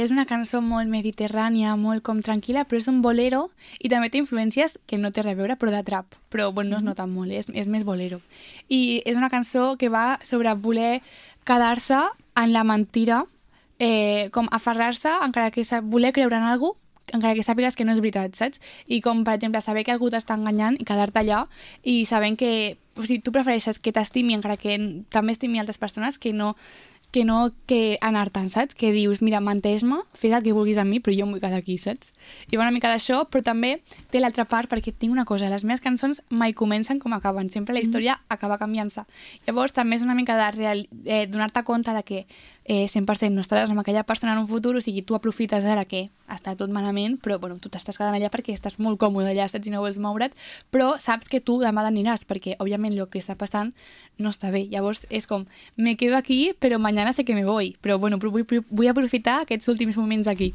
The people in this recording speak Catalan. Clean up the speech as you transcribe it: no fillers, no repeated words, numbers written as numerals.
És una cançó molt mediterrània, molt com tranquil·la, però és un bolero i també té influències que no té res a veure, però de trap. Però bueno, no es nota molt, és més bolero. I és una cançó que va sobre voler quedar-se en la mentira, com aferrar-se, encara que voler creure en algú, encara que sàpigues que no és veritat, saps? I com, per exemple, saber que algú t'està enganyant i quedar-te allà i sabent que... O sigui, tu prefereixes que t'estimi encara que també estimi altres persones que anar-te'n, saps? Que dius, mira, menteix-me, fes el que vulguis amb mi, però jo em vull quedar aquí, saps? I va una mica d'això, però també té l'altra part, perquè tinc una cosa, les meves cançons mai comencen com acaben, sempre la història acaba canviant-se. Llavors també és una mica de donar-te compte de que 100% no estaràs amb aquella persona en un futur, o sigui, tu aprofites ara que està tot malament, però bueno, tu t'estàs quedant allà perquè estàs molt còmode allà, saps, i no vols moure't, però saps que tu demà t'aniràs, perquè òbviament el que està passant no està bé. Llavors és com, me quedo aquí, però mañana sé que me voy, però bueno, vull aprofitar aquests últims moments aquí.